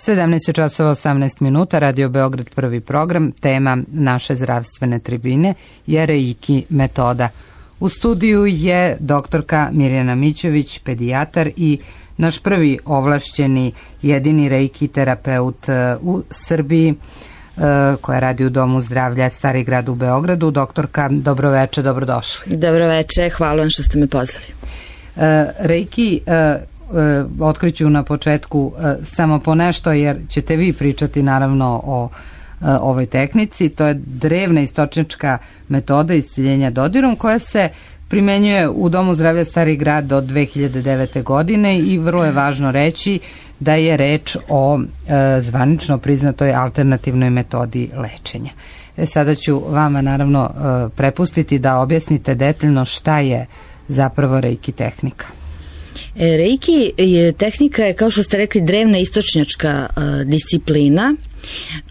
17 časova 18 minuta, Radio Beograd prvi program, tema naše zdravstvene tribine je Reiki metoda. U studiju je doktorka Mirjana Mićević, pedijatar i naš prvi ovlašćeni jedini Reiki terapeut u Srbiji koja radi u Domu zdravlja Stari grad u Beogradu. Doktorka, dobroveče, dobrodošli. Dobroveče, hvala vam što ste me pozvali. Reiki otkriću na početku samo po nešto, jer ćete vi pričati naravno o ovoj tehnici. To je drevna istočnička metoda isciljenja dodirom koja se primenjuje u Domu zdravlja Stari grad od 2009. godine i vrlo je važno reći da je reč o zvanično priznatoj alternativnoj metodi lečenja. Sada ću vama naravno prepustiti da objasnite detaljno šta je zapravo Reiki tehnika. Reiki tehnika je, kao što ste rekli, drevna istočnjačka disciplina.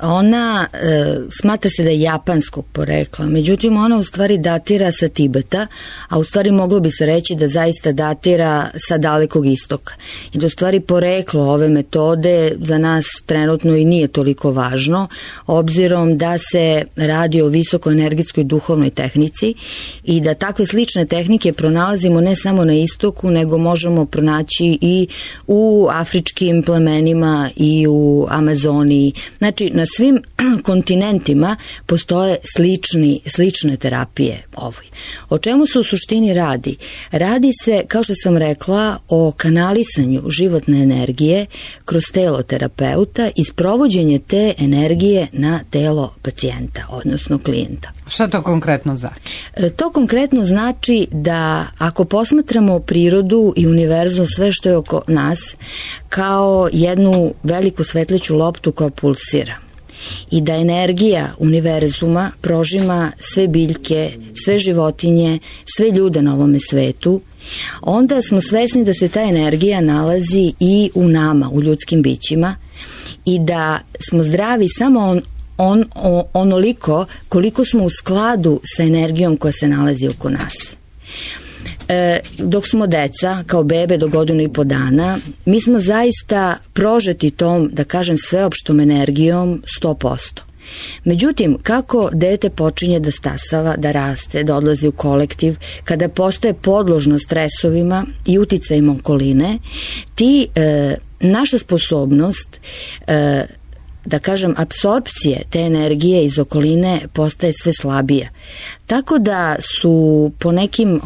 Ona smatra se da je japanskog porekla, međutim ona u stvari datira sa Tibeta, a u stvari moglo bi se reći da zaista datira sa Dalekog istoka. I da u stvari poreklo ove metode za nas trenutno i nije toliko važno, obzirom da se radi o visokoenergetskoj duhovnoj tehnici i da takve slične tehnike pronalazimo ne samo na istoku, nego možemo pronaći i u afričkim plemenima i u Amazoniji. Znači, na svim kontinentima postoje slične terapije ovoj. O čemu se u suštini radi? Radi se, kao što sam rekla, o kanalisanju životne energije kroz telo terapeuta i sprovođenje te energije na telo pacijenta, odnosno klijenta. Šta to konkretno znači? To konkretno znači da ako posmatramo prirodu i univerzum, sve što je oko nas, kao jednu veliku svetleću loptu koja pulsira i da energija univerzuma prožima sve biljke, sve životinje, sve ljude na ovome svetu, onda smo svesni da se ta energija nalazi i u nama, u ljudskim bićima, i da smo zdravi samo onoliko koliko smo u skladu sa energijom koja se nalazi oko nas. Dok smo deca, kao bebe do 1,5 dana, mi smo zaista prožeti tom, da kažem, sveopštom energijom 100%. Međutim, kako dete počinje da stasava, da raste, da odlazi u kolektiv, kada postaje podložno stresovima i uticajima okoline, naša sposobnost da kažem, apsorpcije te energije iz okoline postaje sve slabija. Tako da su po nekim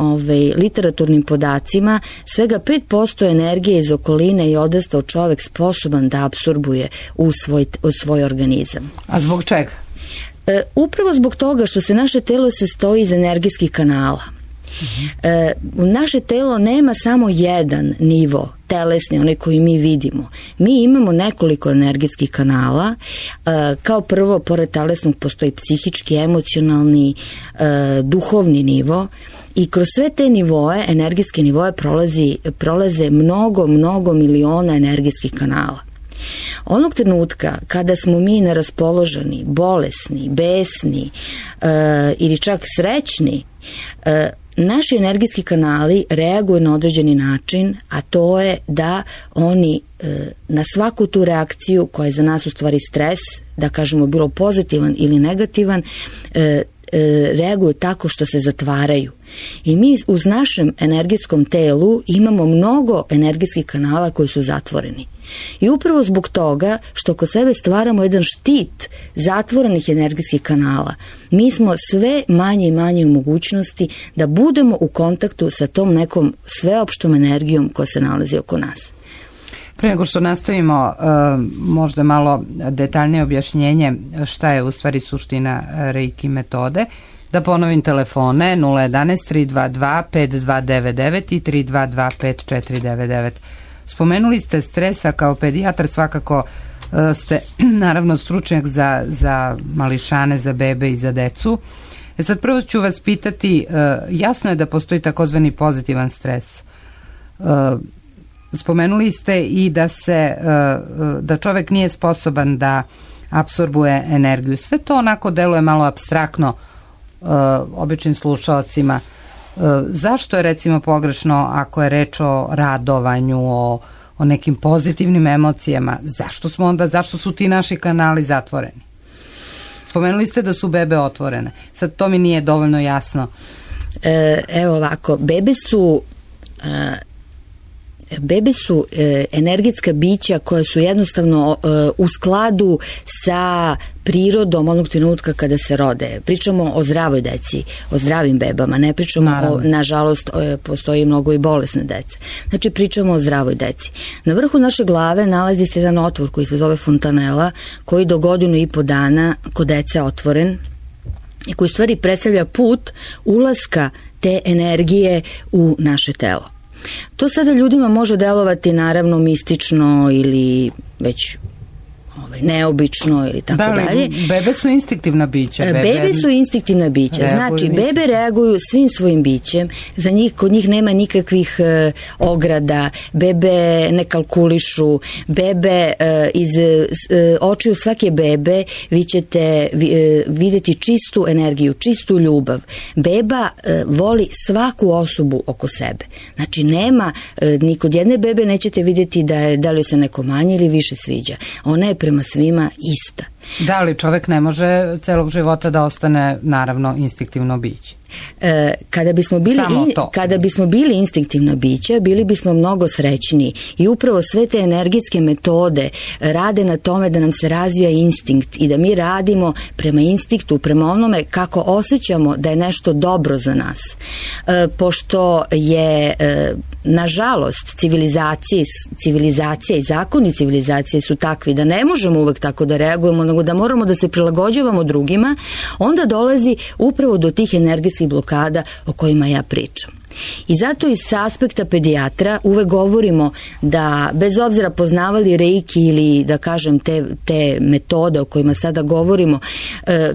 literaturnim podacima svega 5% energije iz okoline i odrastao čovek sposoban da apsorbuje u svoj organizam. A zbog čega? Upravo zbog toga što se naše telo sastoji iz energijskih kanala. Naše telo nema samo jedan nivo telesni, onaj koji mi vidimo. Mi imamo nekoliko energetskih kanala. Kao prvo, pored telesnog postoji psihički, emocionalni, duhovni nivo. I kroz sve te nivoe, energetske nivoe, prolaze mnogo miliona energetskih kanala. Onog trenutka kada smo mi neraspoloženi, bolesni, besni ili čak srećni, naši energijski kanali reaguju na određeni način, a to je da oni na svaku tu reakciju koja je za nas u stvari stres, da kažemo bilo pozitivan ili negativan, reaguju tako što se zatvaraju. I mi uz našem energetskom telu imamo mnogo energetskih kanala koji su zatvoreni. I upravo zbog toga što kod sebe stvaramo jedan štit zatvorenih energetskih kanala, mi smo sve manje i manje u mogućnosti da budemo u kontaktu sa tom nekom sveopštom energijom koja se nalazi oko nas. Pre nego što nastavimo, možda malo detaljnije objašnjenje šta je u stvari suština Reiki metode. Da ponovim telefone 011 322 5299 i 322 5499. Spomenuli ste stresa, kao pedijatar svakako ste naravno stručnjak za mališane, za bebe i za decu. Sad prvo ću vas pitati, jasno je da postoji takozvani pozitivan stres. Spomenuli ste i da čovek nije sposoban da apsorbuje energiju. Sve to onako deluje malo apstraktno običnim slušalcima. Zašto je recimo pogrešno ako je reč o radovanju, o nekim pozitivnim emocijama, zašto su ti naši kanali zatvoreni? Spomenuli ste da su bebe otvorene. Sad to mi nije dovoljno jasno. Evo ovako, bebe su energetska bića koja su jednostavno u skladu sa prirodom onog trenutka kada se rode. Pričamo o zdravoj deci, o zdravim bebama, ne pričamo nažalost, postoji mnogo i bolesne dece. Znači pričamo o zdravoj deci. Na vrhu naše glave nalazi se jedan otvor koji se zove fontanela, koji do 1.5 godina kod dece otvoren i koji stvari predstavlja put ulaska te energije u naše telo. To sada ljudima može delovati naravno mistično ili već neobično ili tako dalje. Bebe su instinktivna bića. Bebe su instinktivna bića. Znači, bebe reaguju svim svojim bićem. Za njih, kod njih nema nikakvih ograda. Bebe ne kalkulišu. Bebe iz očiju svake bebe vi ćete vidjeti čistu energiju, čistu ljubav. Beba voli svaku osobu oko sebe. Znači, nema, ni kod jedne bebe nećete vidjeti da li se neko manje ili više sviđa. Ona je prema svima ista. Da li čovek ne može celog života da ostane naravno instinktivno biće? Kada bismo bili instinktivna bića, bili bismo mnogo srećniji i upravo sve te energetske metode rade na tome da nam se razvija instinkt i da mi radimo prema instinktu, prema onome kako osjećamo da je nešto dobro za nas. Pošto je nažalost civilizacija i zakoni civilizacije su takvi da ne možemo uvek tako da reagujemo, nego da moramo da se prilagođavamo drugima, onda dolazi upravo do tih energetskih blokada o kojima ja pričam. I zato iz aspekta pedijatra uvek govorimo da bez obzira poznavali reiki ili da kažem te metode o kojima sada govorimo,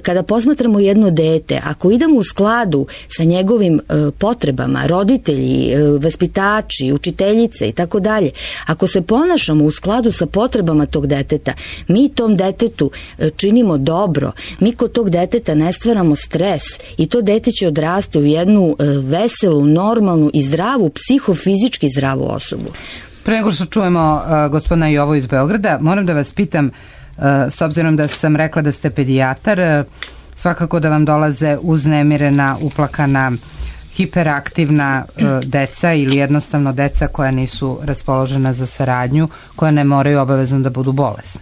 kada posmatramo jedno dete, ako idemo u skladu sa njegovim potrebama, roditelji, vaspitači, učiteljice i tako dalje, ako se ponašamo u skladu sa potrebama tog deteta, mi tom detetu činimo dobro, mi kod tog deteta ne stvaramo stres i to dete će odrasti u jednu veselu, normalnu i zdravu, psihofizički zdravu osobu. Pre nego što čujemo gospodina Jovu iz Beograda, moram da vas pitam, s obzirom da sam rekla da ste pedijatar, svakako da vam dolaze uznemirena, uplakana, hiperaktivna deca ili jednostavno deca koja nisu raspoložena za saradnju, koja ne moraju obavezno da budu bolesna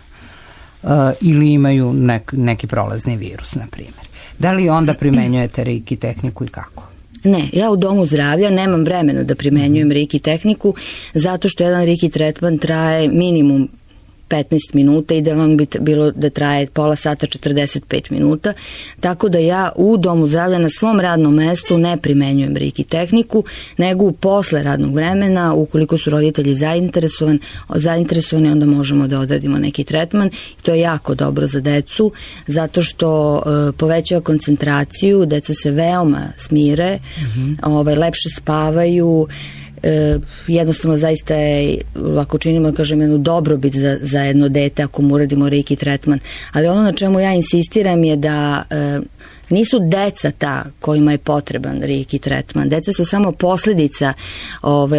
ili imaju neki prolazni virus, na primjer. Da li onda primenjujete reiki tehniku i kako? Ne, ja u domu zdravlja nemam vremena da primenjujem reiki tehniku, zato što jedan reiki tretman traje minimum 15 minuta, idealno bi bilo da traje pola sata, 45 minuta, tako da ja u domu zdravlja na svom radnom mestu ne primenjujem reiki tehniku, nego posle radnog vremena, ukoliko su roditelji zainteresovani, onda možemo da odradimo neki tretman i to je jako dobro za decu, zato što povećava koncentraciju, deca se veoma smire, lepše spavaju, jednostavno zaista je, ako činimo, kažem, jednu dobrobit za jedno dete ako mu uradimo reiki tretman, ali ono na čemu ja insistiram je da nisu deca ta kojima je potreban reiki tretman. Deca su samo posljedica,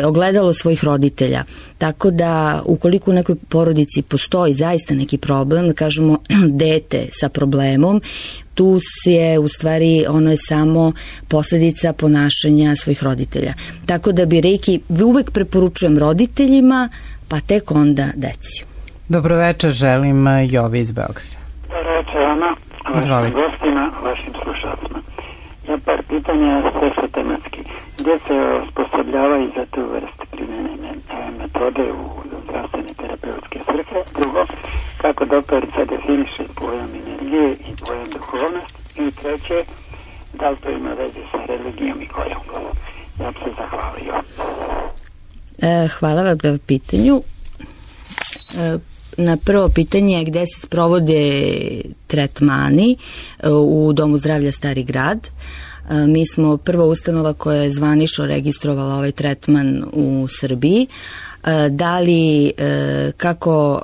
ogledalo svojih roditelja. Tako da ukoliko u nekoj porodici postoji zaista neki problem, da kažemo dete sa problemom, tu je u stvari, ono je samo posljedica ponašanja svojih roditelja. Tako da bi reiki uvek preporučujem roditeljima, pa tek onda deci. Dobroveče, želim Jovi iz Beograda. Dobroveče, Ana. Vašim gostima, vašim slušalcima. Ja par pitanja sve su tematski. Gdje se osposobljavaju za tu vrstu primjenjene metode u zdravstvene terapeutske svrhe? Drugo, kako doktorica definiše pojam energije i pojam duhovnost? I treće, da li to ima veze sa religijom i kojom? Ja bi se zahvalio. Hvala vam na pitanju. Na prvo pitanje gde se sprovode tretmani u Domu zdravlja Stari grad. Mi smo prva ustanova koja je zvanično registrovala ovaj tretman u Srbiji. Da li, kako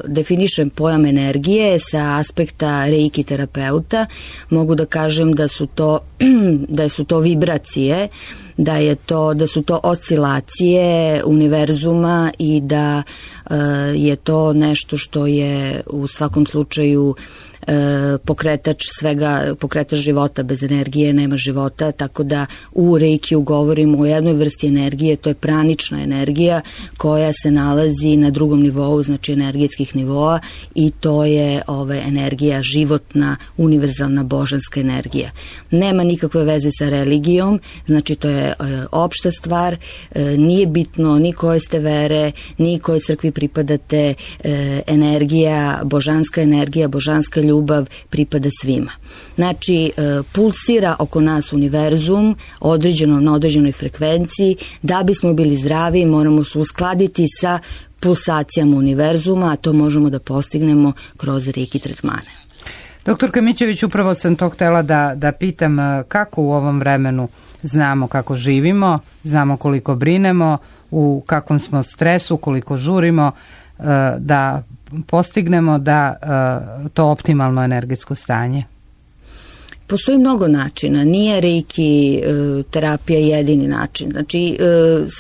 definišem pojam energije sa aspekta reiki terapeuta, mogu da kažem da su to vibracije, da su to oscilacije univerzuma i da je to nešto što je u svakom slučaju pokretač života. Bez energije nema života, tako da u reikiju govorimo o jednoj vrsti energije, to je pranična energija koja se nalazi na drugom nivou, znači energetskih nivoa, i to je energija životna, univerzalna, božanska energija. Nema nikakve veze sa religijom, znači to je opšta stvar, nije bitno ni koje ste vere, ni kojoj crkvi pripadate, energija, božanska ljubav pripada svima. Znači, pulsira oko nas univerzum na određenoj frekvenciji. Da bismo bili zdravi, moramo se uskladiti sa pulsacijama univerzuma, a to možemo da postignemo kroz reiki tretmane. Doktorka Mićević, upravo sam to htela da pitam kako u ovom vremenu znamo kako živimo, znamo koliko brinemo, u kakvom smo stresu, koliko žurimo da postignemo to optimalno energetsko stanje. Postoji mnogo načina, nije reiki terapija jedini način. Znači,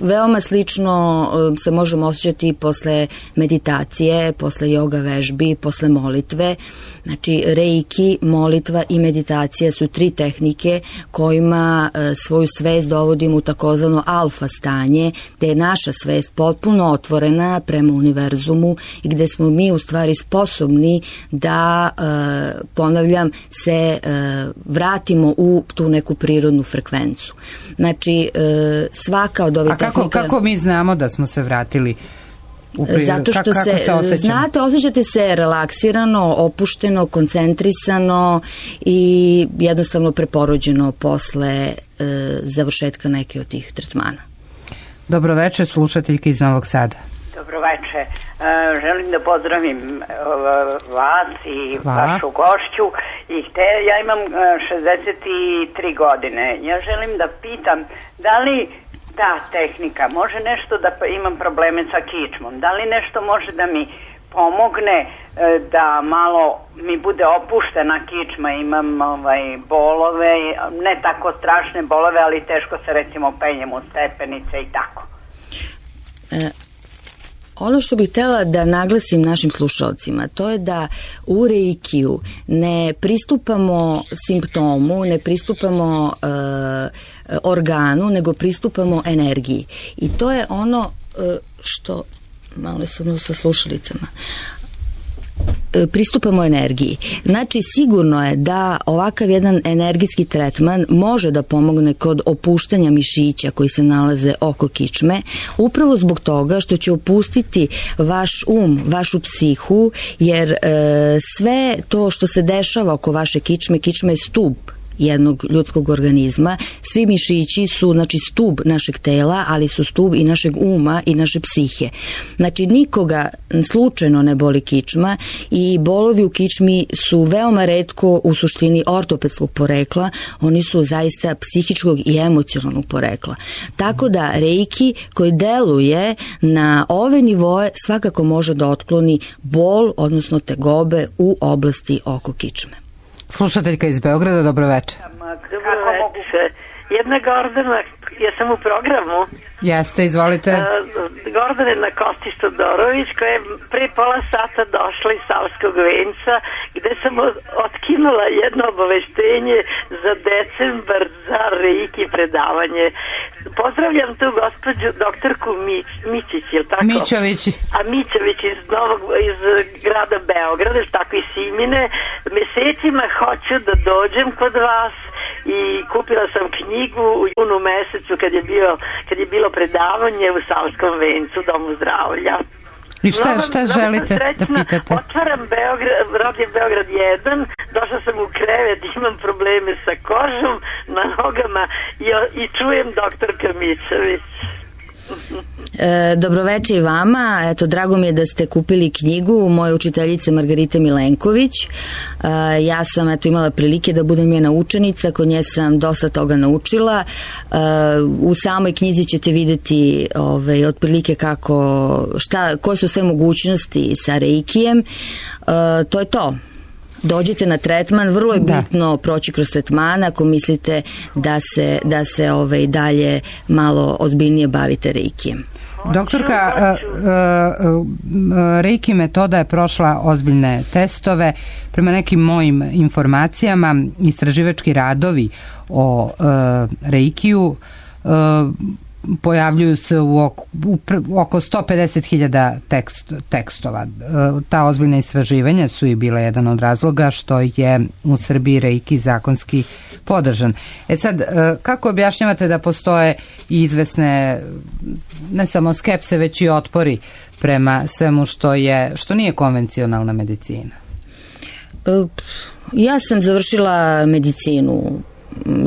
veoma slično se možemo osjećati posle meditacije, posle joga vežbi, posle molitve. Znači, reiki, molitva i meditacija su 3 tehnike kojima svoju svest dovodimo u takozvano alfa stanje, gde je naša svest potpuno otvorena prema univerzumu i gde smo mi u stvari sposobni da, ponavljam, se vratimo u tu neku prirodnu frekvencu. Znači, svaka od ove tehnike... A kako mi znamo da smo se vratili u prirodu? Zato što znate, osjećate se relaksirano, opušteno, koncentrisano i jednostavno preporođeno posle završetka neke od tih tretmana. Dobroveče, slušateljke iz Novog Sada. Dobroveče. Želim da pozdravim vas i vašu gošću. Ja imam 63 godine. Ja želim da pitam da li ta tehnika može nešto da imam probleme sa kičmom? Da li nešto može da mi pomogne da malo mi bude opuštena kičma? Imam bolove, ne tako strašne bolove, ali teško se recimo penjem u stepenice i tako. Ono što bih htjela da naglasim našim slušalcima, to je da u reikiju ne pristupamo simptomu, ne pristupamo organu, nego pristupamo energiji. I to je ono što, malo sam sa slušalicama, pristupamo energiji. Znači, sigurno je da ovakav jedan energetski tretman može da pomogne kod opuštanja mišića koji se nalaze oko kičme, upravo zbog toga što će opustiti vaš vašu psihu, jer sve to što se dešava oko vaše kičme je stub jednog ljudskog organizma. Svi mišići su, znači, stub našeg tela, ali su stub i našeg uma i naše psihe. Znači, nikoga slučajno ne boli kičma i bolovi u kičmi su veoma retko u suštini ortopedskog porekla, oni su zaista psihičkog i emocionalnog porekla. Tako da reiki koji deluje na ove nivoe svakako može da otkloni bol, odnosno tegobe u oblasti oko kičme. Slušateljka iz Beograda, dobroveče. Dobroveče. Jedna Gordana, ja sam u programu. Jeste, izvolite. Gordana Kostić Todorović, koja je pre pola sata došla iz Savskog venca, gde sam otkinula jedno obaveštenje za decembar za reiki predavanje. Pozdravljam tu gospođu doktorku Mićić, je li tako? Mićović. A Mićović iz grada Beograda, tako i Simine. Mesecima hoću da dođem kod vas i kupila sam knjigu u junu mesecu kad je bilo predavanje u Savskom vencu, Domu zdravlja. I šta želite da pitate? Otvaram Radio Beograd 1, došla sam u krevet, imam probleme sa kožom na nogama i čujem doktorka Mićević. Dobroveče i vama. Eto, drago mi je da ste kupili knjigu moje učiteljice Margarite Milenković. Ja sam imala prilike da budem njena učenica, kod nje sam dosta toga naučila. U samoj knjizi ćete vidjeti otprilike koje su sve mogućnosti sa reikijem. To je to. Dođete na tretman, vrlo je bitno proći kroz tretman ako mislite da se dalje malo ozbiljnije bavite reikijem. Doktorka, reiki metoda je prošla ozbiljne testove. Prema nekim mojim informacijama, istraživački radovi o reikiju pojavljuju se u oko 150.000 tekstova. Ta ozbiljna istraživanja su i bila jedan od razloga što je u Srbiji reiki zakonski podržan. Sad, kako objašnjavate da postoje i izvesne ne samo skepse, već i otpori prema svemu što nije konvencionalna medicina? Ja sam završila medicinu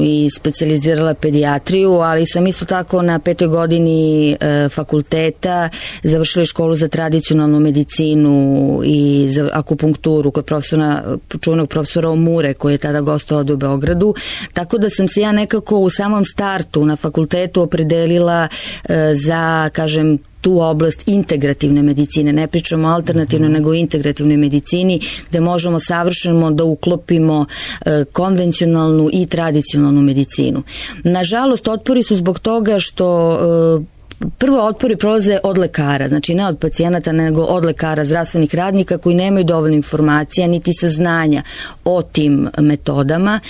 i specijalizirala pedijatriju, ali sam isto tako na 5. godini fakulteta završila školu za tradicionalnu medicinu i za akupunkturu kod čuvenog profesora Omure, koji je tada gostovao u Beogradu, tako da sam se ja nekako u samom startu na fakultetu opredelila za, kažem, tu oblast integrativne medicine. Ne pričamo alternativno, nego integrativnoj medicini, gde možemo savršeno da uklopimo konvencionalnu i tradicionalnu medicinu. Nažalost, otpori su zbog toga što prvo otpori prolaze od lekara, znači ne od pacijenata, nego od lekara, zdravstvenih radnika koji nemaju dovoljno informacija niti saznanja o tim metodama.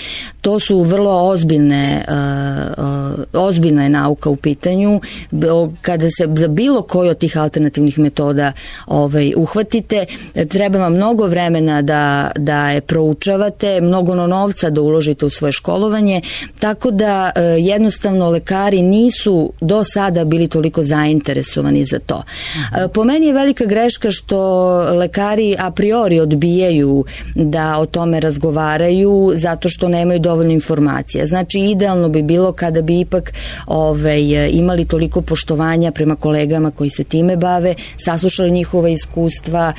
To su vrlo ozbiljna je nauka u pitanju. Kada se za bilo koju od tih alternativnih metoda uhvatite, treba vam mnogo vremena da je proučavate, mnogo novca da uložite u svoje školovanje, tako da jednostavno lekari nisu do sada bili toliko zainteresovani za to. Po meni je velika greška što lekari a priori odbijaju da o tome razgovaraju zato što nemaju dovoljno informacija. Znači, idealno bi bilo kada bi ipak imali toliko poštovanja prema kolegama koji se time bave, saslušali njihova iskustva,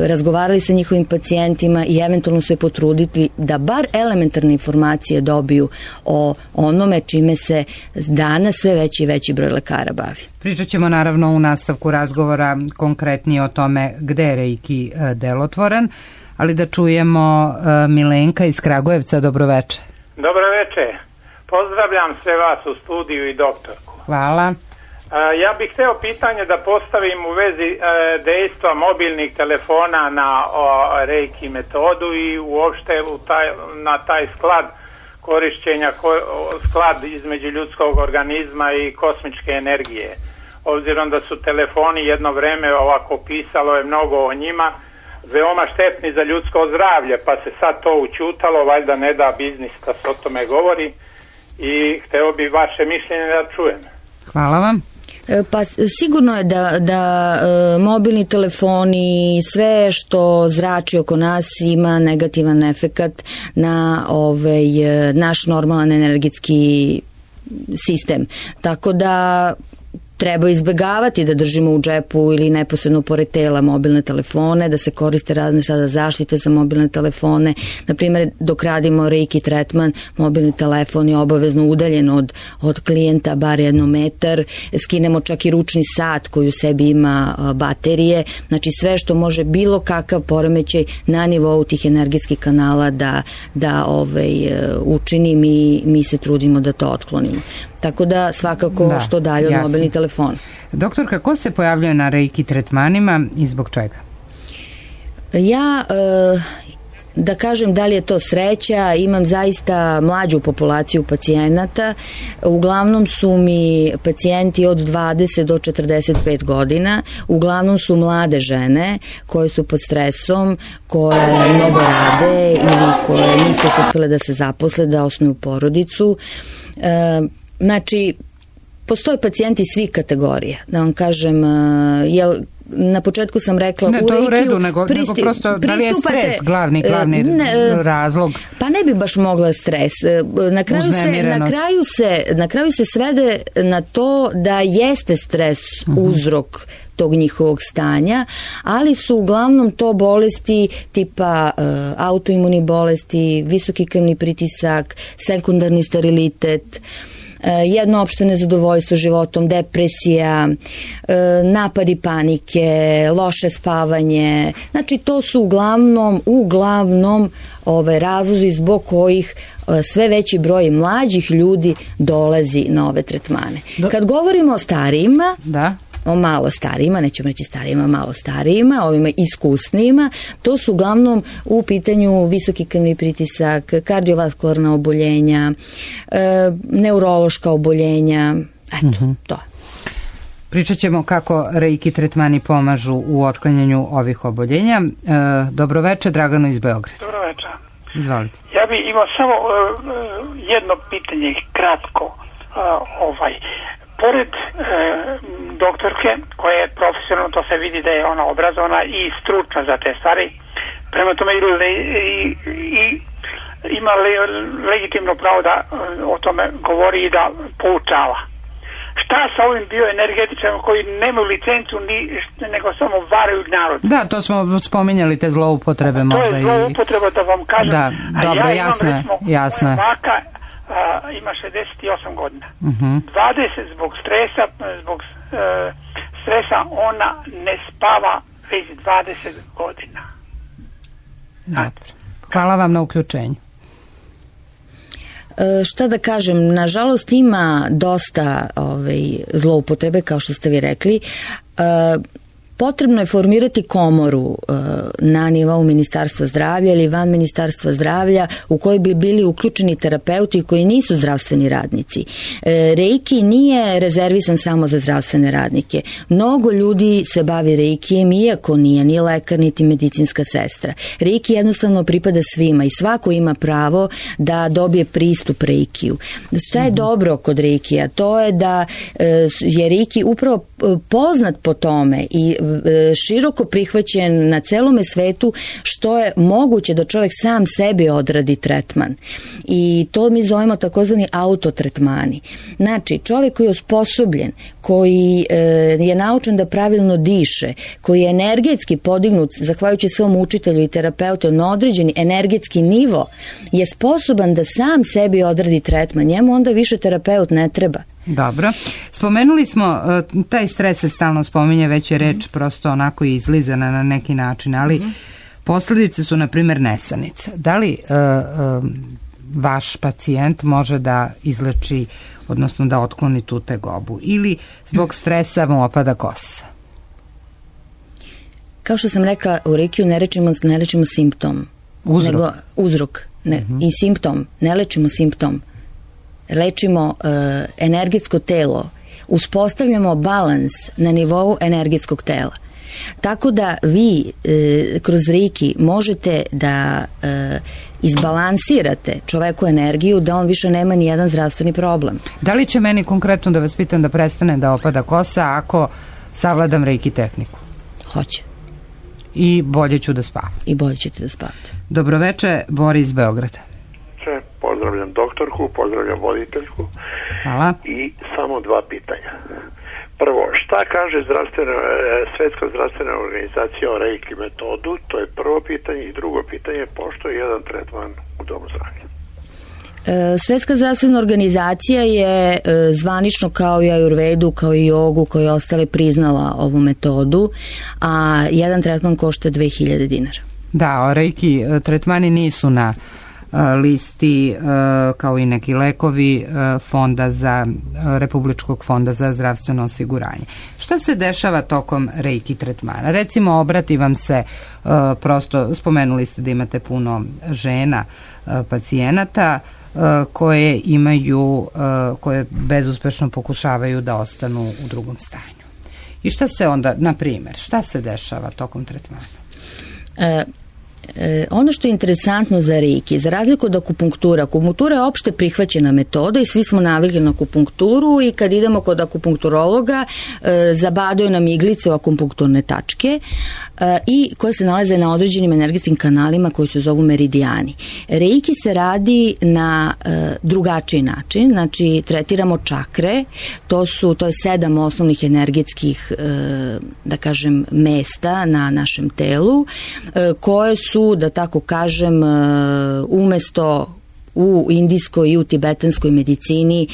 razgovarali sa njihovim pacijentima i eventualno se potruditi da bar elementarne informacije dobiju o onome čime se danas sve veći i veći broj lekara bavi. Pričat ćemo naravno u nastavku razgovora konkretnije o tome gde je reiki delotvoran, ali da čujemo Milenka iz Kragujevca. Dobroveče. Dobroveče. Pozdravljam sve vas u studiju i doktorku. Hvala. Ja bih hteo pitanje da postavim u vezi dejstva mobilnih telefona na reiki metodu i uopšte na taj sklad korišćenja, sklad između ljudskog organizma i kosmičke energije. Obzirom da su telefoni jedno vreme, ovako pisalo je mnogo o njima, veoma štetni za ljudsko zdravlje, pa se sad to učutalo, valjda ne da biznis da se o tome govori, i hteo bi vaše mišljenje da čujem. Hvala vam. Pa sigurno je da mobilni telefoni i sve što zrači oko nas ima negativan efekat na naš normalan energetski sistem. Tako da treba izbegavati da držimo u džepu ili neposredno pored tela mobilne telefone, da se koriste razne sada zaštite za mobilne telefone. Naprimjer, dok radimo reiki tretman, mobilni telefon je obavezno udaljen od klijenta bar 1 metar. Skinemo čak i ručni sat koji u sebi ima baterije. Znači sve što može bilo kakav poremećaj na nivou tih energetskih kanala da učini, mi se trudimo da to otklonimo. Tako da svakako što dalje od mobilnih telefona. Doktorka, ko se pojavljuje na reiki tretmanima i zbog čega? Ja, da kažem da li je to sreća, imam zaista mlađu populaciju pacijenata. Uglavnom su mi pacijenti od 20 do 45 godina. Uglavnom su mlade žene koje su pod stresom, koje mnogo rade ili koje nisu još uspjele da se zaposle, da osnuju porodicu. Znači, postoje pacijenti svih kategorija, da vam kažem, na početku sam rekla, ne, u to je u redu, Reikiju nego prosto da li je stres glavni razlog? Pa ne bi baš mogla stres. Na kraju se svede na to da jeste stres uzrok tog njihovog stanja, ali su uglavnom to bolesti tipa autoimuni bolesti, visoki krvni pritisak, sekundarni sterilitet, jednoopšte nezadovoljstvo životom, depresija, napadi panike, loše spavanje. Znači to su uglavnom razlozi zbog kojih sve veći broj mlađih ljudi dolazi na ove tretmane. Kad govorimo o starijima, o malo starijima, nećemo reći starijima, malo starijima, ovima iskusnijima, to su uglavnom u pitanju visoki krvni pritisak, kardiovaskularna oboljenja, neurološka oboljenja, eto, to. Pričat ćemo kako reiki tretmani pomažu u otklanjanju ovih oboljenja. Dobroveče, Dragano iz Beograda. Dobroveče. Izvolite. Ja bih imao samo jedno pitanje, kratko. Pored doktorke, koja je profesionalno, to se vidi da je ona obrazovana i stručna za te stvari, prema tome ima legitimno pravo da o tome govori i da poučava. Šta sa ovim bioenergetičarima koji nemaju licencu nego samo varaju narod? Da, to smo spominjali, te zloupotrebe možda. To je zloupotreba, da vam kažem. Da, dobro, jasno je. Ima 68 godina. 20 zbog stresa ona ne spava već 20 godina. Dobro. Hvala vam na uključenju. Šta da kažem, nažalost ima dosta zloupotrebe, kao što ste vi rekli. Potrebno je formirati komoru na nivou Ministarstva zdravlja ili van Ministarstva zdravlja u kojoj bi bili uključeni terapeuti koji nisu zdravstveni radnici. Reiki nije rezervisan samo za zdravstvene radnike. Mnogo ljudi se bavi reikijem, iako nije ni lekar niti medicinska sestra. Reiki jednostavno pripada svima i svako ima pravo da dobije pristup reikiju. Šta je dobro kod reikija? To je da je reiki upravo poznat po tome i široko prihvaćen na celome svetu, što je moguće da čovjek sam sebi odradi tretman. I to mi zovemo takozvani autotretmani. Znači, čovjek koji je osposobljen, koji je naučen da pravilno diše, koji je energetski podignut, zahvaljujući svom učitelju i terapeutu na određeni energetski nivo, je sposoban da sam sebi odradi tretman. Njemu onda više terapeut ne treba. Dobro. Spomenuli smo, taj stres se stalno spominje, već je reč prosto onako izlizana na neki način, ali posljedice su, na primjer, nesanica. Da li vaš pacijent može da izleči, odnosno da otkloni tu tegobu, ili zbog stresa mu opada kosa? Kao što sam rekla, u reikiju ne lečimo simptom. Nego uzrok. I simptom. Ne lečimo simptom. Lečimo energetsko telo, uspostavljamo balans na nivou energetskog tela. Tako da vi kroz reiki možete da izbalansirate čoveku energiju, da on više nema ni jedan zdravstveni problem. Da li će meni konkretno, da vas pitam, da prestane da opada kosa ako savladam reiki tehniku? Hoće. I bolje ću da spavam? I bolje ćete da spavate. Dobroveče, Boris iz Beograda. Pozdravljam doktorku, pozdravljam voditeljku. Hvala. I samo dva pitanja. Prvo, šta kaže Svetska zdravstvena organizacija o reiki metodu? To je prvo pitanje. I drugo pitanje, pošto je jedan tretman u domu zdravlja? Svetska zdravstvena organizacija je zvanično, kao i ajurvedu, kao i jogu, kao i ostale, priznala ovu metodu, a jedan tretman košta 2000 dinara. Da, reiki tretmani nisu na listi, kao i neki lekovi Republičkog fonda za zdravstveno osiguranje. Šta se dešava tokom reiki tretmana? Recimo, obrati vam se, prosto spomenuli ste da imate puno žena pacijenata koje koje bezuspešno pokušavaju da ostanu u drugom stanju. I šta se onda, na primjer, šta se dešava tokom tretmana? Ono što je interesantno za reiki, za razliku od akupunktura je opšte prihvaćena metoda i svi smo navikli na akupunkturu i kad idemo kod akupunkturologa zabadaju nam iglice u akupunkturne tačke i koje se nalaze na određenim energetskim kanalima koji se zovu meridijani. Reiki se radi na drugačiji način, znači tretiramo čakre, to je 7 osnovnih energetskih, da kažem, mesta na našem telu, koje su, da tako kažem, umesto u indijskoj i u tibetanskoj medicini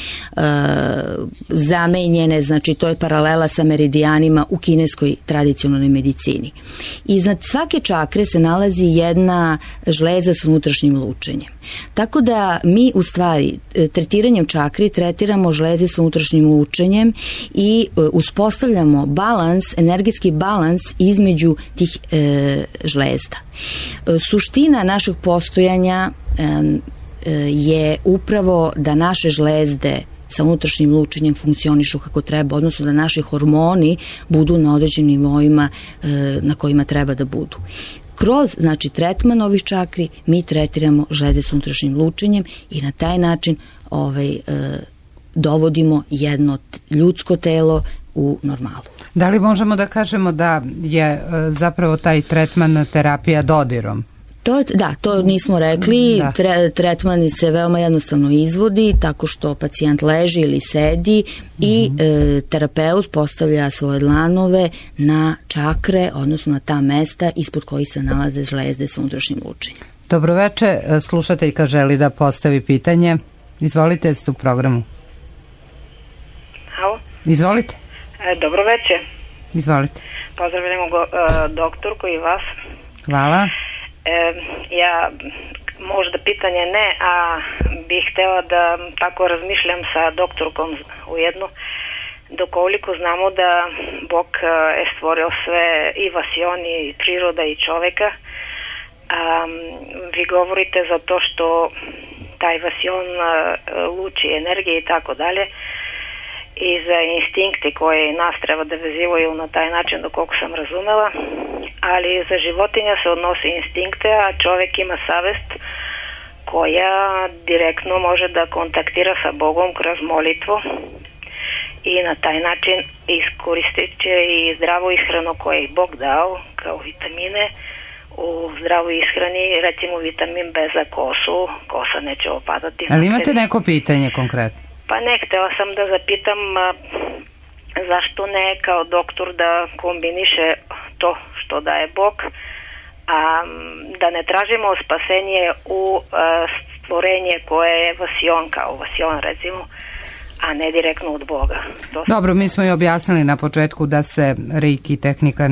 zamenjene, znači to je paralela sa meridijanima u kineskoj tradicionalnoj medicini. Iznad svake čakre se nalazi jedna žleza s unutrašnjim lučenjem. Tako da mi u stvari tretiranjem čakri tretiramo žleze s unutrašnjim lučenjem i uspostavljamo balans, energetski balans između tih žlezda. Suština našeg postojanja je upravo da naše žlezde sa unutrašnjim lučenjem funkcionišu kako treba, odnosno da naši hormoni budu na određenim nivoima na kojima treba da budu. Kroz, znači, tretman ovih čakri mi tretiramo žlezde s unutrašnjim lučenjem i na taj način dovodimo jedno ljudsko telo u normalu. Da li možemo da kažemo da je zapravo taj tretman terapija dodirom? To nismo rekli. Tretman se veoma jednostavno izvodi tako što pacijent leži ili sedi i terapeut postavlja svoje dlanove na čakre, odnosno na ta mesta ispod kojih se nalaze žlezde sa unutrašnjim lučenjem. Dobroveče, slušateljka želi da postavi pitanje. Izvolite, ste u programu. Halo? Izvolite. Dobroveče. Izvolite. Pozdravljamo doktorku i vas. Hvala. Ja možda pitanje ne, a bih htela da tako razmišljam sa doktorkom ujedno, dokoliko znamo da Bog je stvorio sve i vasion i priroda i čoveka. Vi govorite za to što taj vasion luči energije i tako dalje i za instinkte koje nas treba da vezivaju na taj način, dokoliko sam razumela, ali za životinja se odnosi instinkte, a čovjek ima savest koja direktno može da kontaktira sa Bogom kroz molitvu i na taj način iskoristit će i zdravu ishranu koju je Bog dao kao vitamine. U zdravoj ishrani, recimo vitamin B za kosu, kosa neće opadati. Ali imate neko pitanje konkretno? Pa ne, htjela sam da zapitam zašto ne kao doktor da kombiniše to što daje Bog, a da ne tražimo spasenje u stvorenje koje je vasion, kao vasion recimo, a ne direktno od Boga. Dobro, mi smo i objasnili na početku da se reiki tehnika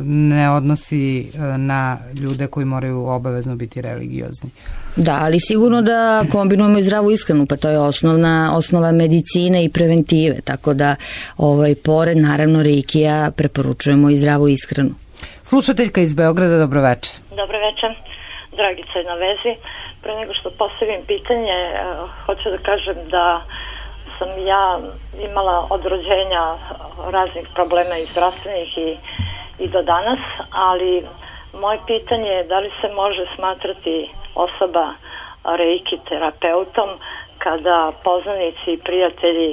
ne odnosi na ljude koji moraju obavezno biti religiozni. Da, ali sigurno da kombinujemo i zdravu ishranu, pa to je osnova medicine i preventive, tako da pored naravno reikija preporučujemo i zdravu ishranu. Slušateljka iz Beograda, dobroveče. Dobroveče, Dragica je na vezi. Pre nego što postavim pitanje, hoću da kažem da sam ja imala od rođenja raznih problema i zdravstvenih i do danas, ali moje pitanje je da li se može smatrati osoba reiki terapeutom kada poznanici i prijatelji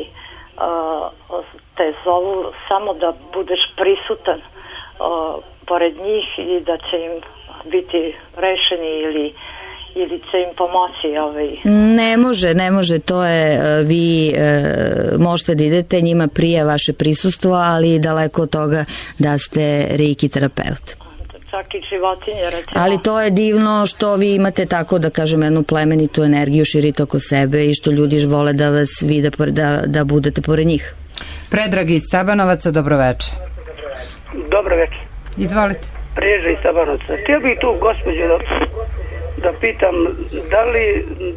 te zovu samo da budeš prisutan pored njih i da će im biti rešeni ili će im pomoći Ne može, to je, vi možete da idete, njima prije vaše prisustvo, ali daleko od toga da ste reiki terapeut. Čak i životinje, recimo. Ali to je divno što vi imate tako, da kažem, jednu plemenitu energiju, širite oko sebe i što ljudi vole da vas vide, da budete pored njih. Predrag iz Sabanovaca, dobroveče. Dobroveče. Izvolite. Predrag iz Sabanovaca. Htio bih tu gospođu da pitam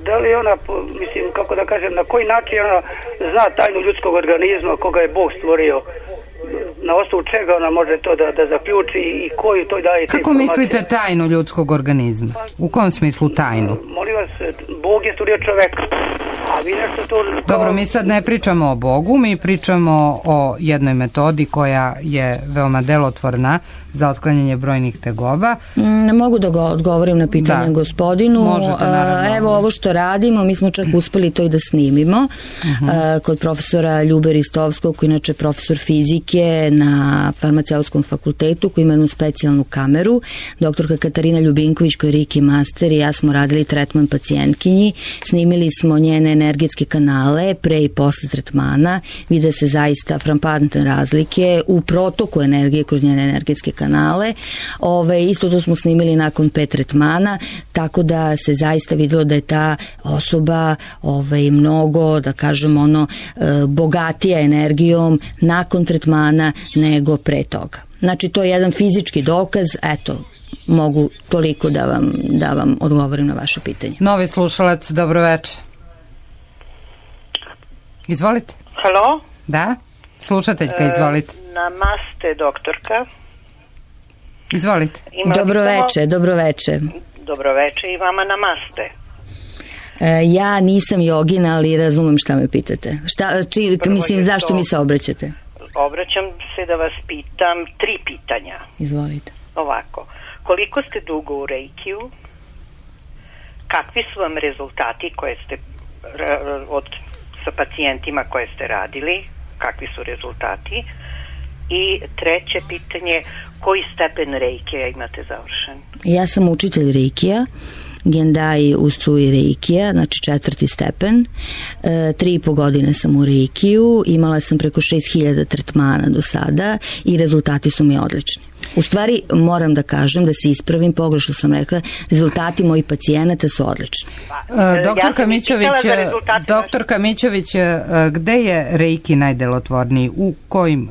da li ona, mislim, kako da kažem, na koji način ona zna tajnu ljudskog organizma koga je Bog stvorio, na osnovu čega ona može to da zaključi i koji to daje. Kako mislite tajnu ljudskog organizma? U kom smislu tajnu? Molim vas, Bog je stvorio čoveka. A vi nešto to... Dobro, mi sad ne pričamo o Bogu, mi pričamo o jednoj metodi koja je veoma delotvorna za otklanjanje brojnih tegoba. Ne mogu da odgovorim na pitanje gospodinu. Evo ovo što radimo, mi smo čak uspeli to i da snimimo kod profesora Ljube Ristovskog, koji inače profesor fizike na farmaceutskom fakultetu, koji ima jednu specijalnu kameru. Doktorka Katarina Ljubinković, koja je Reiki master, i ja smo radili tretman pacijentkinji. Snimili smo njene energetske kanale pre i posle tretmana. Vide se zaista frappantne razlike u protoku energije kroz njene energetske kanale. Isto to smo snimili nakon 5 tretmana, tako da se zaista videlo da je ta osoba mnogo, da kažem, bogatija energijom nakon tretmana nego pre toga. Znači, to je jedan fizički dokaz, eto, mogu toliko da vam odgovorim na vaše pitanje. Novi slušalac, dobroveče. Izvolite. Halo? Da, slušateljka, izvolite. Namaste, doktorka. Izvolite. Dobroveče. Dobroveče i vama namaste. Ja nisam jogina, ali razumem šta me pitate. Zašto mi se obraćate? Obraćam se da vas pitam 3 pitanja. Izvolite. Ovako, koliko ste dugo u Reikiju? Kakvi su vam rezultati koje ste sa pacijentima koje ste radili? Kakvi su rezultati? I 3. pitanje, koji stepen Reikija imate završen? Ja sam učitelj Reikija, Gendai Usui Reikija, znači 4. stepen. 3,5 godine sam u Reikiju, imala sam preko 6.000 tretmana do sada i rezultati su mi odlični. U stvari, moram da kažem, da se ispravim, pogrešno sam rezultati mojih pacijenata su odlični. Doktorka Mićović, gde je Reiki najdelotvorniji? U kojim,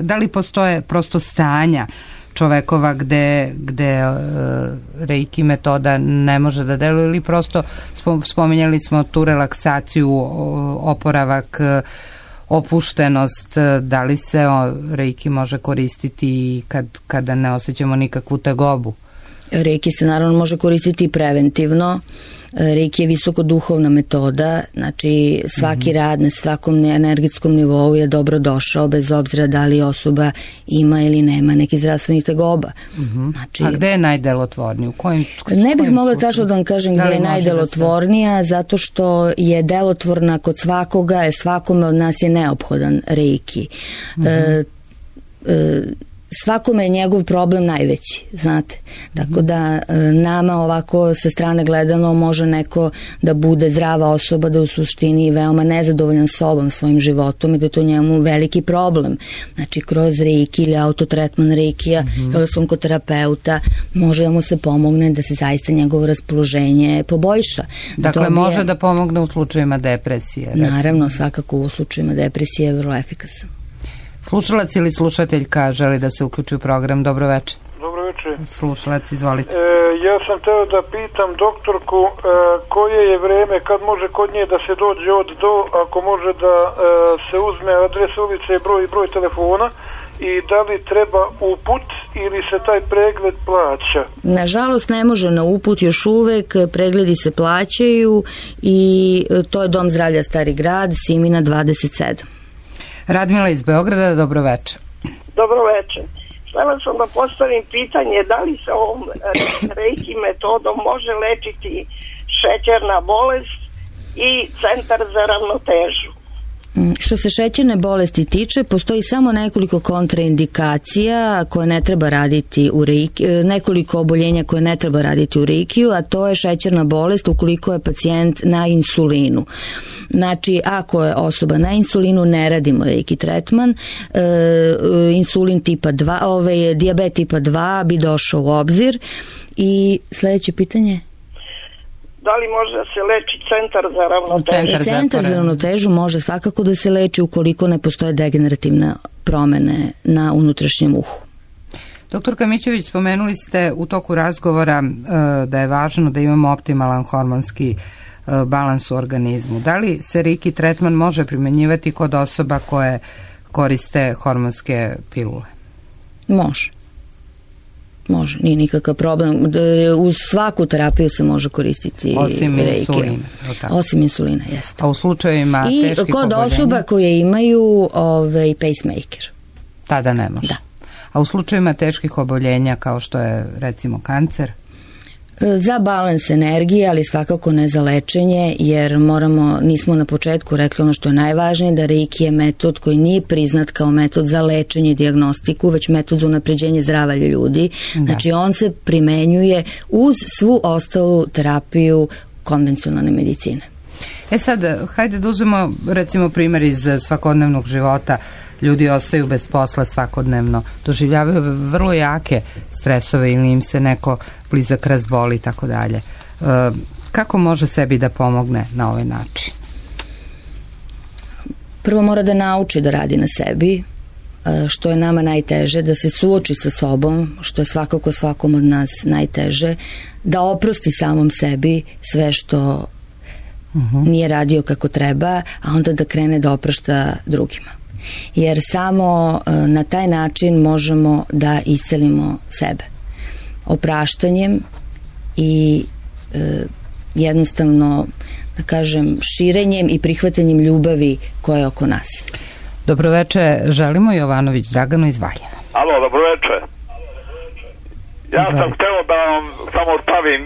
da li postoje prosto stanja čovekova gde Reiki metoda ne može da deluje, ili prosto spominjali smo tu relaksaciju, oporavak, opuštenost, da li se Reiki može koristiti kada ne osjećamo nikakvu tegobu? Reiki se naravno može koristiti i preventivno. Reiki je visokoduhovna metoda, znači svaki rad na svakom energetskom nivou je dobro došao, bez obzira da li osoba ima ili nema neki zdravstvenih tegoba. A gde je najdelotvorniji? Ne bih mogla tačno da vam kažem gde je najdelotvornija, zato što je delotvorna kod svakoga, svakome od nas je neophodan Reiki. Svakome je njegov problem najveći, znate. Tako da nama ovako sa strane gledano može neko da bude zdrava osoba, da u suštini veoma nezadovoljan sobom, svojim životom i da je to njemu veliki problem. Znači, kroz Reiki ili autotretman Reikija, ili kod terapeuta, može da mu se pomogne da se zaista njegovo raspoloženje poboljša. Dakle, može da pomogne u slučajima depresije? Naravno, svakako u slučajima depresije je vrlo efikasan. Slušalac ili slušateljka želi da se uključi u program. Dobroveče. Dobroveče. Slušalac, izvolite. Ja sam teo da pitam doktorku koje je vreme kad može kod nje da se dođe od do, ako može da se uzme adres ulice i broj telefona, i da li treba uput ili se taj pregled plaća? Nažalost ne može na uput još uvek, pregledi se plaćaju i to je Dom zdravlja Stari grad, Simina 27. Radmila iz Beograda, dobroveče. Dobroveče. Htjela sam da postavim pitanje da li se ovom Reiki metodom može lečiti šećerna bolest i centar za ravnotežu. Što se šećerne bolesti tiče, postoji samo nekoliko kontraindikacija koje ne treba raditi u Reiki, nekoliko oboljenja koje ne treba raditi u Reikiju, a to je šećerna bolest ukoliko je pacijent na insulinu. Znači, ako je osoba na insulinu, ne radimo Reiki tretman. Insulin tipa 2, dijabet tipa 2 bi došao u obzir. I sljedeće pitanje? Da li može da se leči centar za ravnotežu? Centar za ravnotežu može svakako da se leči ukoliko ne postoje degenerativne promene na unutrašnjem uhu. Doktorka Mićović, spomenuli ste u toku razgovora da je važno da imamo optimalan hormonski balans u organizmu. Da li se Reiki tretman može primenjivati kod osoba koje koriste hormonske pilule? Može. Može, nije nikakav problem. Uz svaku terapiju se može koristiti osim insulina. Osim insulina, jeste. A u slučajevima teških i kod osoba koje imaju pacemaker. Tada ne može. Da. A u slučajevima teških oboljenja kao što je recimo kancer? Za balans energije, ali svakako ne za lečenje, jer nismo na početku rekli ono što je najvažnije, da Reiki je metod koji nije priznat kao metod za lečenje i dijagnostiku, već metod za unapređenje zdravlja ljudi. Da. Znači on se primenjuje uz svu ostalu terapiju konvencionalne medicine. Sad, hajde da uzmemo recimo primjer iz svakodnevnog života. Ljudi ostaju bez posla svakodnevno, doživljavaju vrlo jake stresove ili im se neko blizak razboli i tako dalje. Kako može sebi da pomogne na ovaj način? Prvo mora da nauči da radi na sebi, što je nama najteže, da se suoči sa sobom, što je svakako svakom od nas najteže, da oprosti samom sebi sve što nije radio kako treba, a onda da krene da oprašta drugima. Jer samo na taj način možemo da iscelimo sebe. Opraštanjem i jednostavno, da kažem, širenjem i prihvatanjem ljubavi koja je oko nas. Dobroveče, želimo Jovanović Dragano iz Valjeva. Alo, dobroveče. Ja sam hteo da vam samo stavim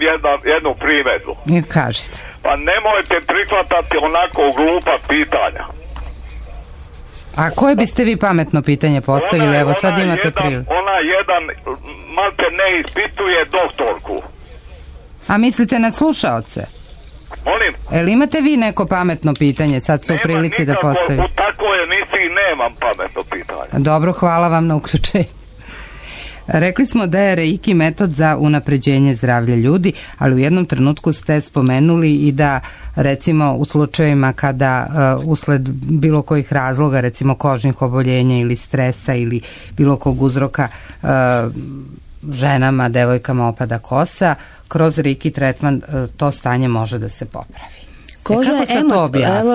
jednu primedbu. Kažite. Pa nemojte prihvatati onako glupa pitanja. A koje biste vi pametno pitanje postavili? Evo sad imate priliku. Ona jedan malte ne ispituje doktorku. A mislite na slušaoce? Molim? Jel imate vi neko pametno pitanje? Sad su u prilici da postavite. U takvoj emisiji nemam pametno pitanje. Dobro, hvala vam na uključenju. Rekli smo da je Reiki metod za unapređenje zdravlja ljudi, ali u jednom trenutku ste spomenuli i da recimo u slučajevima kada usled bilo kojih razloga, recimo kožnih oboljenja ili stresa ili bilo kog uzroka ženama, devojkama opada kosa, kroz Reiki tretman to stanje može da se popravi. Koža je,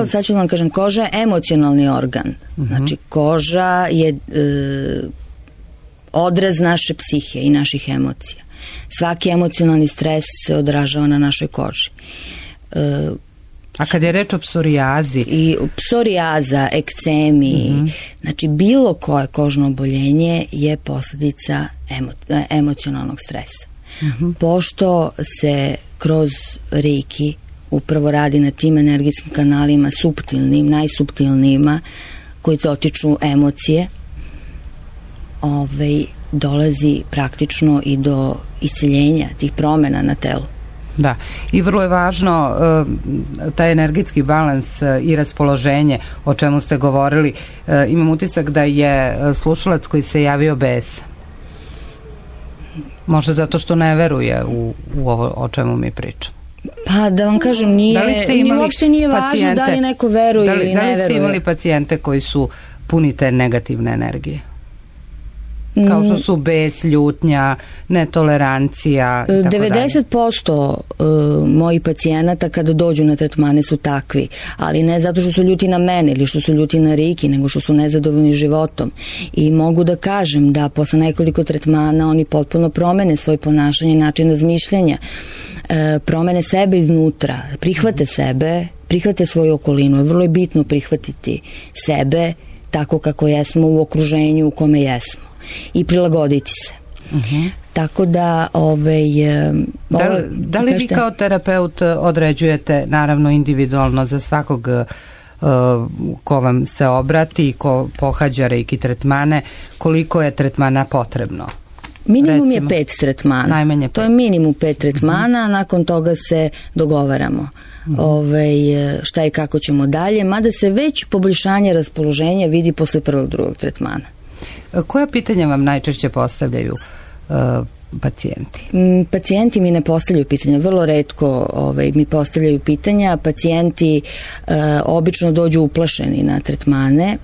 sad ću vam kažem, koža je emocionalni organ. Znači koža je odraz naše psihe i naših emocija. Svaki emocionalni stres se odražava na našoj koži. A kad je reč o psorijazi? I psorijaza, ekcemi, znači bilo koje kožno oboljenje je posljedica emocionalnog stresa. Pošto se kroz Reiki upravo radi na tim energetskim kanalima suptilnim, najsuptilnijima koji dotiču emocije, dolazi praktično i do isceljenja tih promjena na telu. Da, i vrlo je važno taj energetski balans i raspoloženje, o čemu ste govorili. Imam utisak da je slušalac koji se javio besan. Možda zato što ne veruje u ovo o čemu mi pričamo. Pa da vam kažem, uopšte nije važno da li neko veruje ili ne veruje. Da li ste imali pacijente koji su puni te negativne energije? Kao što su bes, ljutnja, netolerancija. 90% mojih pacijenata kada dođu na tretmane su takvi, ali ne zato što su ljuti na mene ili što su ljuti na Reiki, nego što su nezadovoljni životom. I mogu da kažem da posle nekoliko tretmana oni potpuno promene svoje ponašanje i način razmišljanja, promene sebe iznutra, prihvate sebe, prihvate svoju okolinu. Vrlo je bitno prihvatiti sebe tako kako jesmo u okruženju u kome jesmo i prilagoditi se. Tako da da li vi kao terapeut određujete, naravno individualno za svakog ko vam se obrati i ko pohađa Reiki tretmane, koliko je tretmana potrebno? Minimum je 5 tretmana. Najmanje 5. To je minimum 5 tretmana, nakon toga se dogovaramo šta i kako ćemo dalje, mada se već poboljšanje raspoloženja vidi posle prvog, drugog tretmana. Koja pitanja vam najčešće postavljaju pacijenti? Pacijenti mi ne postavljaju pitanja, vrlo retko mi postavljaju pitanja. Pacijenti obično dođu uplašeni na tretmane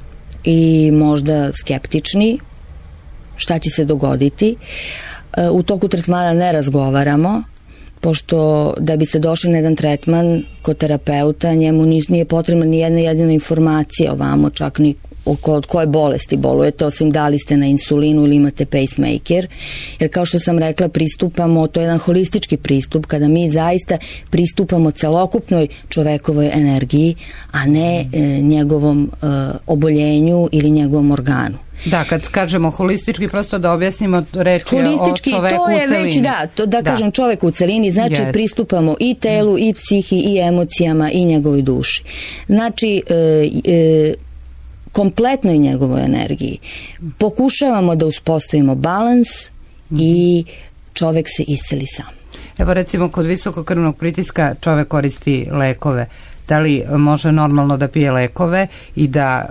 i možda skeptični šta će se dogoditi. U toku tretmana ne razgovaramo, pošto da biste došli na jedan tretman kod terapeuta, njemu nije potrebna ni jedna jedina informacija o vamo, čak ni od koje bolesti bolujete, osim da li ste na insulinu ili imate pacemaker, jer kao što sam rekla, pristupamo, to je jedan holistički pristup, kada mi zaista pristupamo celokupnoj čovekovoj energiji, a ne njegovom oboljenju ili njegovom organu. Da, kad kažemo holistički, prosto da objasnimo, reč je o čoveku u celini. Kažem čovek u celini, znači pristupamo i telu, i psihi, i emocijama, i njegovoj duši. Znači, kompletnoj njegovoj energiji. Pokušavamo da uspostavimo balans i čovek se isceli sam. Evo recimo, kod visokokrvnog pritiska čovek koristi lekove. Da li može normalno da pije lekove i da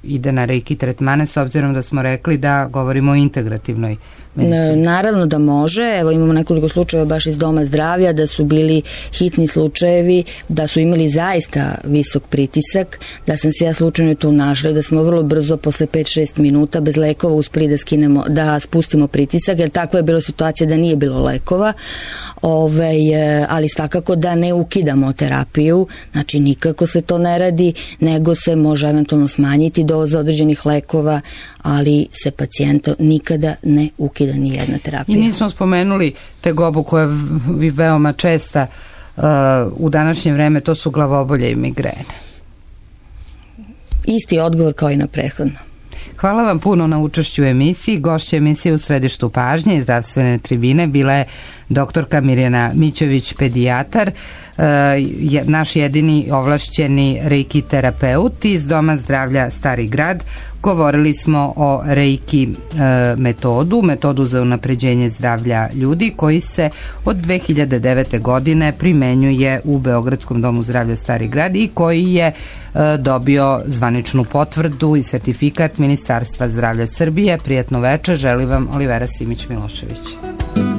ide na reiki tretmane, s obzirom da smo rekli da govorimo o integrativnoj medicini? Naravno da može. Evo imamo nekoliko slučajeva baš iz Doma zdravlja da su bili hitni slučajevi, da su imali zaista visok pritisak, da sam se ja slučajno tu našla i da smo vrlo brzo posle 5-6 minuta bez lekova uspeli da spustimo pritisak, jer tako je bilo situacija da nije bilo lekova, ali svakako da ne ukidamo terapiju, znači nikako se to ne radi, nego se može eventualno smanjiti doza određenih lekova, ali se pacijenta nikada ne ukida ni jedna terapija. I nismo spomenuli tegobu koja je veoma česta u današnje vreme, to su glavobolje i migrene. Isti odgovor kao i na prethodno. Hvala vam puno na učešću u emisiji. Gošća emisije u središtu pažnje i zdravstvene tribine bila je doktorka Mirjana Mićević, pedijatar, naš jedini ovlašćeni reiki terapeut iz Doma zdravlja Stari Grad. Govorili smo o reiki metodu za unapređenje zdravlja ljudi, koji se od 2009. godine primenjuje u Beogradskom domu zdravlja Stari Grad i koji je dobio zvaničnu potvrdu i sertifikat Ministarstva zdravlja Srbije. Prijatno večer, želi vam Olivera Simić-Milošević.